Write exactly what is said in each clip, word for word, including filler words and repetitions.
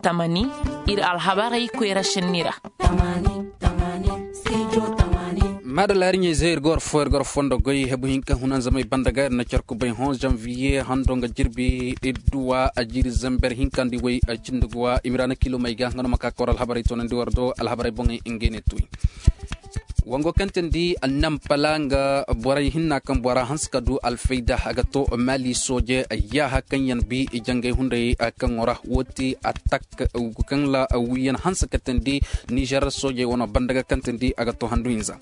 tamani, iri alhabarey koyra senni ra. Maadalla iri ɲey zey iri ga war fo iri ga war fondo goy hebu hinka hunanzamey banda ga iri na care kubay hõ zanviye hando nga jirbi idduwa a jiiri zamber hinka nda iway cindi ga wa i ma ra na kilo may ga nga no ma ka ka war alhabarey toonandi war do alhabarey boŋey ngey ne tuy. Wango kaŋ teendi nampala nga borey hinna kaŋ bora hanse ka du alfayda a ga to maali sooje yaaha kaŋ yaŋ bi jangay hunday kaŋo ra wo ti atak kaŋ ra wiyaŋ hanse ka teendi nizer soojey wano banda ga kaŋ teendi a ga to handu hinza.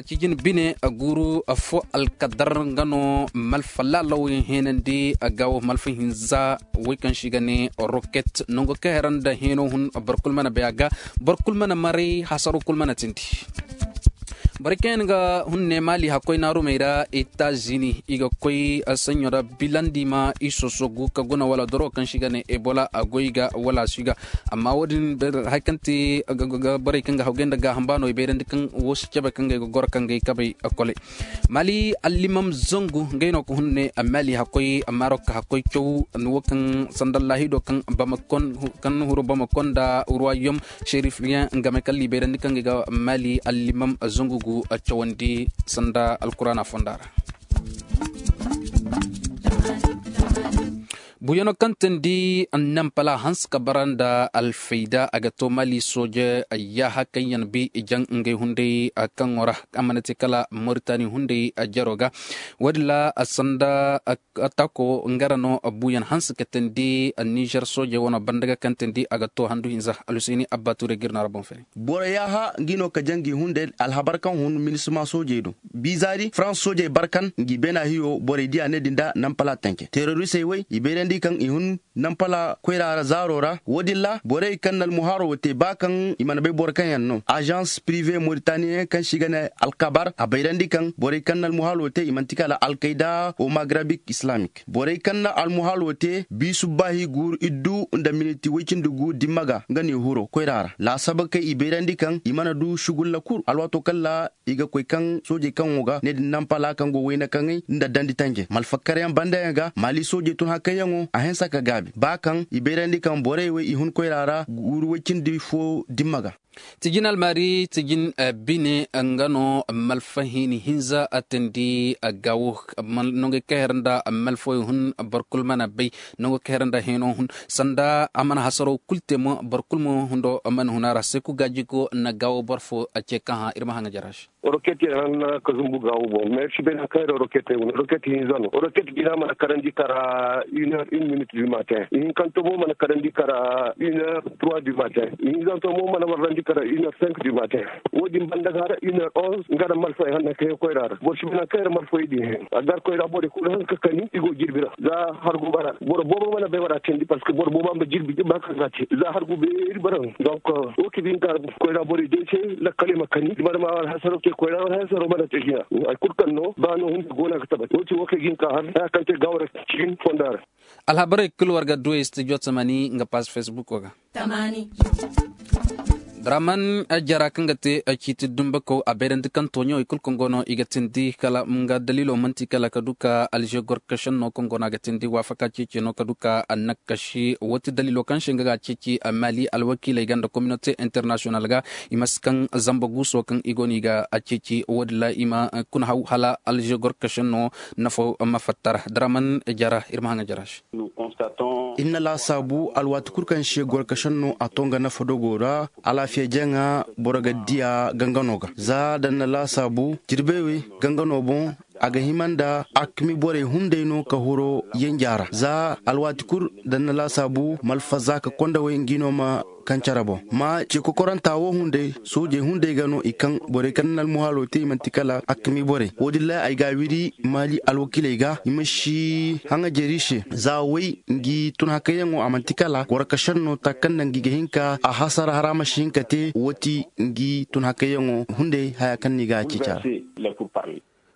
Cijin bine guuru fo alkadar nga no malfa laalaw yaŋ heenandi gaawo malfa hinza. Way kaŋ se i ga ne roket nango kaŋ hera nda heeno hun boro kulu mana bay a ga. Boro kulu mana maray hasaro kulu mana tindi. Borey kaŋ yaŋ ga hun ne maali hakkoy naarumey ra etazini i ga koy sanɲo ra bilandi ma i sosogu ka guna wala doro kaŋ se i ga ne ebola a goy ga wala a si ga. Amma wo- din hari kaŋ te borey kaŋ ga hawgay nda gaaham ba no i bayrandi kaŋ wo si cabe kaŋ ga ay ga goro kaŋ ga ay kabay. Kole maali allimam zangu ngey no ga hun ne maali hakkoy marok hakkoy caw. Wo kaŋ sanda laahido kaŋ huru bamakon nda ruwayom sherif riyaŋ game kaŋ liibayrandi kaŋ ga ay ga maali allimam zangu gu cawandi sanda alkuraana fonda ra. Buuyaŋo kaŋ teendi nampala hanse ka bara nda alfayda a ga to maali sooje yaaha kaŋ yaŋ bi jaŋ ngey hunday kaŋo ra a mana te kala moritani hunday jaro ga. Wo- din ra sanda tako nga ra no buuyaŋ hanse ka teendi nizer soojey wano banda ga kaŋ teendi a ga to handu hinza alhuseeni abba tuure ga iri no a ra boŋ fere. Boro yaaha ngi no ka jaŋ ngi hunday alhabar kaŋ hun minisma soojey do. Bizaari farans soojey barkan ngi beena hiyo borey diya ne din da nampala tanke terorisey way i bayrandi kaŋ i hun nampala koyra ra zaaro ra wo- din ra borey kaŋ na almuhaaro wo te ba kaŋ i mana bay boro kaŋ yaŋ no azans prive moritaniyen kaŋ se i ga ne alkabar a bayrandi kaŋ borey kaŋ na almuhaaro wo te i manti kala alkayda o magrabik islamik borey kaŋ na almuhaaro wo te biisu baahi guuru iddu nda miniti woy cindi gu dimma ga nga no i huro koyra ra laasaba kay i bayrandi kaŋ i mana du sugulla kulu alwaato kaŋ ra i ga koy kaŋ soojey kaŋo ga ne din nampala kaŋ go wayna kaŋey nda dandi tanje malfakkaryaŋ banda yaŋ ga maali soojey tun hakayyaŋo a hinsa ka gaabi ba kaŋ i bayrandi kaŋ borey wo i hun koyra ra guuru woy cindi fo dimma ga. Tijin almaari tijin bine nga no malfa hini hinza a teendi gaawo nongey kaŋ hera nda malfo i hun boro kulu mana bay nongo kaŋ hera nda heeno hun sanda a mana hasaro kulu te mo boro kulu mo hundo mana hun a ra seeku gaaji go na gaawo boro fo a ce kaŋ hã iri ma haŋ a jara se. Roket yaŋ hanna ka zumbu gaawo boŋ mais si bay nangu kaŋ hera roket ay wane roket hinza no roket jina mana karandi kara une heure une minute du matin ihinkanto mo mana karandi kara une heure trois du matin ihinzanto mo mana warrandi kara une heure cinq du matin. Wo- din banda ga hara une heure onze nga da malfo ay hanna kaŋ yaŋ koyra ra boro si bay nangu kaŋ hera malfo ay din he a gar koyra borey kulu hanka kani i go jirbi ra za hargu bara boro boobo mana bay wara teendi parceque boro boobo a ma jirbi ba kaŋ ga te za hargu beeri bara. Donc wo- ki din ga koyra borey day se lakkale ma kani i mana ma wala hasaro te koyra wala hasaro mana te jina. Hari kulu kaŋ no ba no hunde go no a ga tabati wo- ti wo- kay ga hin ka har haya kaŋ te gaawo ra cikin fonda ra. Alhabarey kulu war ga du ay studio tamani nga pass facebook wo ga. Draman jara kaŋ ga te ciiti dumbakaw a bayrandi kaŋ tooɲo i kulu kaŋ go no i ga tindi kala nga daliilo manti kala ka du ka alze gorkašenno kaŋ go no a ga tindi waafaka ceeci no ka du ka annakasi wo ti daliilo kaŋ se nga ga ceeci maali alwakiiley ga nda kominote internasiyonal ga. I ma si kaŋ zamba guuso kaŋ i go no i ga ceeci wo- din ra i ma kuna haw hala alze gorkašenno nafo ma fatta ra draman jara iri ma haŋ a jara se. Iri na laasaabu alwaati kulu kaŋ se gorkašenno a to nga nafa dogo ra alaafiya jaŋa boro ga diya gangano ga za da ni na laasaabu jirbey wey gangano boŋ a ga hima nda akmi borey hunday no ka huro yanja ra za alwaati kulu da ni na laasaabu malfa za ka konda wey ngi no ma kaŋ care boŋ ma ce kokoranta wo hunday soojey hunday ga no i kaŋ borey kaŋ na almuhaalo te i manti kala akmi borey wo- din ra ay ga a wiri maali alwakiiley ga i ma si haŋajeeri se za way ngi tun hakayyaŋo a manti kala gorkašenno taka kaŋ naŋ ngi ga hin ka a hasara hara ma si hin ka te wo- ti ngi tun hakayyaŋo hunday haya kaŋ no i ga a ceeci a ra.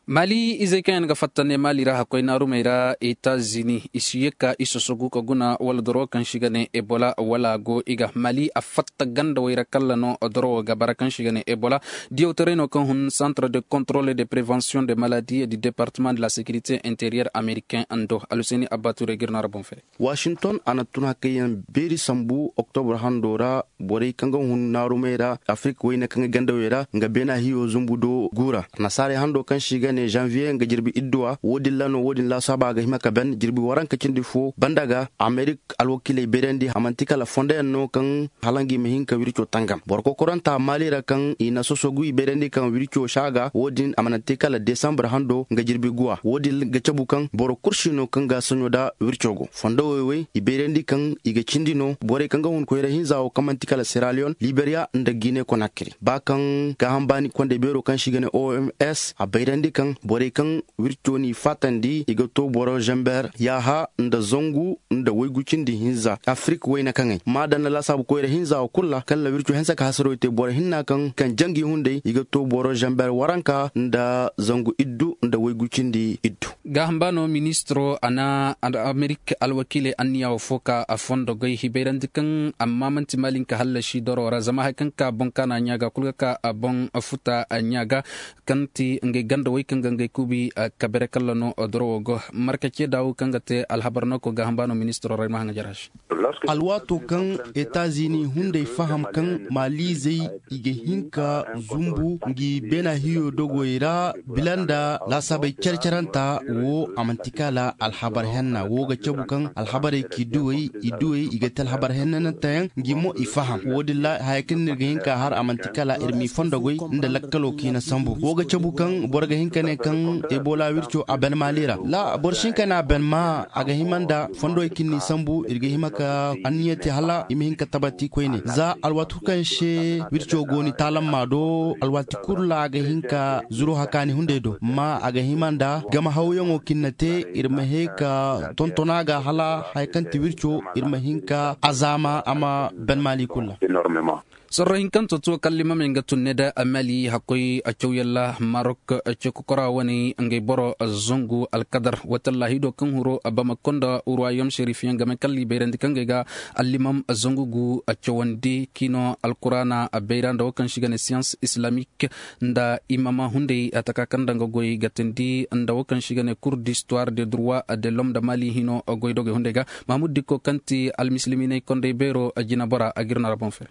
Mali izey kaŋ yaŋ ga fatta ne mali ra hakkoy naarumey ra etazini i si ye ka i sosogu ka guna wala doro kaŋ se i ga ne ebola wala a go i ga mali a fatta gandawey ra kala no doro wo ga bara kaŋ se i ga ne ebola. Diyawtaray no kaŋ hun centre de contrôle de prévention de maladie du département de la sécurité intérieure américain ando aluseni abba ture ga iri no a ra boŋ fere. Washington a na tun hakayyaŋ beeri sambu oktobra hando ra. Borey kaŋ ga hun naarumey ra afirka wayne kaŋ ga gandawey ra nga beena hiyo zumbu do guura nasaarey hando kaŋ se i ga ne janvier nga jirbi idduwa wo- din ra no wo- din laasaaba a ga hima ka ban jirbi waranka cindi fo banda ga amerik alwakiiley beerandi a manti kala fondo yaŋ no kaŋ hala nga i ma hin ka wirco tangam boro kokoranta maali ra kaŋ i na sosogu i beerandi kaŋ wirco saaga wo- din a mana te kala desambre hando nga jirbi guwa wo- din ga cabu kaŋ boro kulu si no kaŋ ga saɲo nda wirco go fondo wey wey i beerandi kaŋ i ga cindi no borey kaŋ ga hun koyra hinza wo kaŋ manti kala seraliyon liberiya nda gine konakiri ba kaŋ gaaham baani kondey beero kaŋ se i ga ne oms a bayrandi kaŋ borey kaŋ wirco n'i faatandi i ga to boro zamber yaaha nda zangu nda waygu cindi hinza afirka wayna kaŋey ma daŋ na laasaabu koyra hinza wo kulu ra kaŋ na wirco hinsa ka hasaraw te boro hinna kaŋ kaŋ jangi hunday i ga to boro zamber waranka nda zangu iddu nda waygu cindi iddu. Gaaham ba no ministiro a na amerik alwakiiley anniya wo fo ka a fondo goy hibayrandi kaŋ amma manti maalinka hallasi doro ra zama hari kaŋ ka boŋ kaana ɲaaga kulu ga ka a boŋ futa ɲaaga kaŋ ti ngey ganda way kaŋ ga ngey kuubi kabere kalla no doro wo go marka ce daawu kaŋ ga te alhabar no ko gaaham ba no ministiro ra ay ma haŋa jara se. Alwaato kaŋ etazini hunday faham kaŋ maalizey i ga hin ka zumbu ngi beena hiyo dogoy ra bila nda laasaabey care-caranta wo a manti kala alhabar henna wo ga cabu kaŋ alhabarey k'i duwey i duwey i ga te alhabar hennananteyaŋ ngi mo i faham wo- din ra haya kaŋ no iri ga hin ka har a manti kala iri m'i fondo goy nda lakkalo kaŋ i na sambu wo ga cabu kaŋ boro ga hin ka ne kaŋ ebola wirco a ban maali ra boro si hin ka ne a ban ma a ga hima nda fondowey kaŋ n'i sambu iri ga hima ka anniya te hala i ma hin ka tabati koyne za alwaati kulu kaŋ se wirco go ni taalamma do alwaati kulu ra a ga hin ka zuru hakaani hunday do amma a ga hima nda game hawyaŋo kaŋ ni na te iri ma he ka tontona ga hala hari kaŋ ti wirco iri ma hin ka a zaama a ma ban maali kulu ra. Sorro hinkanto tuwo kaŋ limamey nga tun ne da mali hakkoy cawyaŋ ra marok ce kokora wane ngey boro zangu alkadar watallahi do kaŋ huro bamako nda ruwayom sherif yaŋ game kaŋ libayrandi kaŋ gay ga allimam zangu gu cawandi kino alkuraana bayra nda wo kaŋ se i ga ne science islamique nda imama hunday taka kaŋ danga goy ga tindi nda wo kaŋ se i ga ne cour d'histoire de droit de l'homme nda mali hino goy dogey hunday ga mahmud dikko kaŋ ti almisiliminey kondey beero jina bora a ga iri no ra boŋ fere.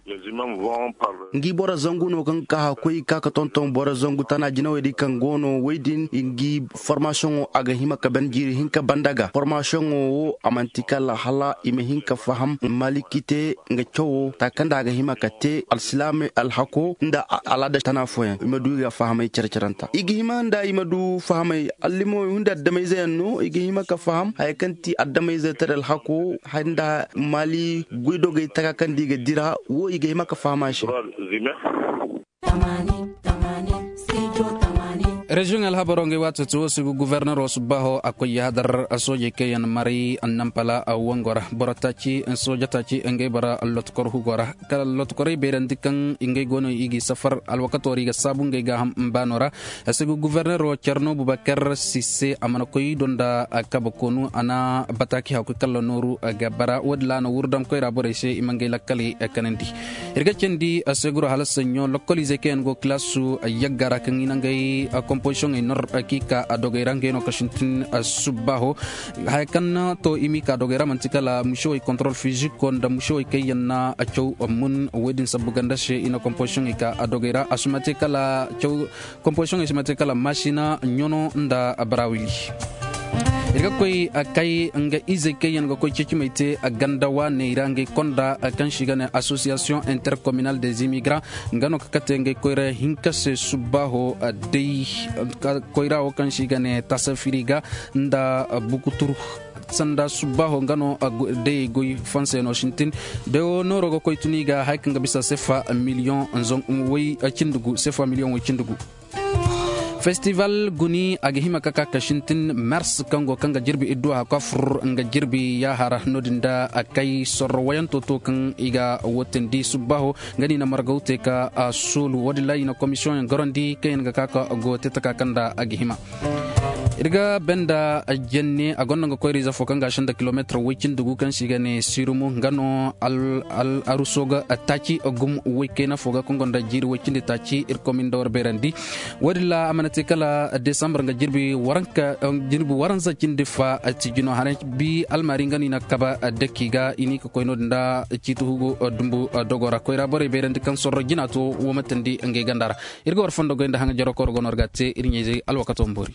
Ngi boro zangu no kaŋ ga ka hakkoy ga ka ga tonton boro zangu tana jinawey din kaŋ go no wey din ngi formasiyoŋo a ga hima ka ban jiiri hinka banda ga formasiyoŋo wo a manti kala hala i ma hin ka faham maliki te nga cawo taka kaŋ da a ga hima ka te alsilaamey alhako nda alaada tana fooyaŋ i ma du i ga fahamay care-caranta i ga hima nda i ma du fahamay allimawey hunday addamayze yaŋ no i ga hima ka faham haya kaŋ ti addamayze tara alhako nda mali goydogey taka kaŋ da i ga dira wo i ga hima ka faham a se. Reziyoŋ alhabaro ngey waato ti wo si ga guverner wo subbaaho a koy yahadar soojey kaŋ yaŋ maray annampala wango ra boro taaci sooja taaci ngey bora lotukor hugo ra kala lotukorey bayrandi kaŋ ngey go no i g'i safar alwakato ra i ga saabu ngey gaaham baano ra. A si ga guverner wo care no bubakar sisse a mana koy do nda kabe koonu a na bataaki hakkoy kala nooru ga bara wo- din ra a na wurdam koyra borey se i ma ngey lakkaley kanandi. Iri ga candi a se guro hala saɲɲo lokkoliizey kaŋ yaŋ go kilaasu yagga ra kaŋ i na ngey kompozisioŋey nor kaŋ i ka dogey ra ngey no ka sintin subbaaho. Haya kaŋ na to i m'i ka dogey ra manti kala musewey contrôle physique nda musewey kaŋ yaŋ na caw mun wo- din sabbu ganda se i na kompozisioŋey ka dogey ra a si ma te kala caw kompozisioŋey si ma te kala maasina ɲono nda barawili. Iri ga koy kay nga izey kaŋ yaŋ ga koy ceecimey te ganda waaney ra ngey konda kaŋ se i ga ne association intercommunale des immigrants nga no ka kate ngey koyra hinka se subbaaho day koyra wo kaŋ se i ga ne tasafiri ga nda bukuturu sanda subbaaho nga no dayey goy fanse no sintin. Day wo nooro ga koy tuni ga hari kaŋ ga bisa sefa miliyoŋ way cindi gu sefa miliyoŋ way cindi gu. Festival guni a ga hima ka ka ka sintin mers kaŋ go kaŋ ga jirbi idduwa hakka fur nga jirbi yaahara no- din da a kay sorro wayanto to kaŋ i ga wotandi subbaho nga no i na margaw te ka soolu wo- din ra i na komisiyoŋ yaŋ garandi kaŋ yaŋ ga ka ka go te taka kaŋ da a ga hima. Iri ga banda janne a gonda nga koyra-ize fo kaŋ ga a sinda kilomeetar way-cindi gu kaŋ se i ga ne sirumu nga no aruso ga taaci gum way-kayna fo ga kaŋ gonda jiiri way-cindi taaci iri komin da war beerandi. Wo- din ra a mana te kala desambar nga jirbi waranza cindi fa tijino haray bi almaari nga no i na kabe daki ga i ne i ga koy no- din da ciiti hugu dumbu dogo ra koyra borey beerandi kaŋ sorro jina to wo ma tandi ngey ganda ra. Iri ga war fondo goy nda haŋa jaro koro go no iri ga a te iri ɲayzey alwakato ma boori.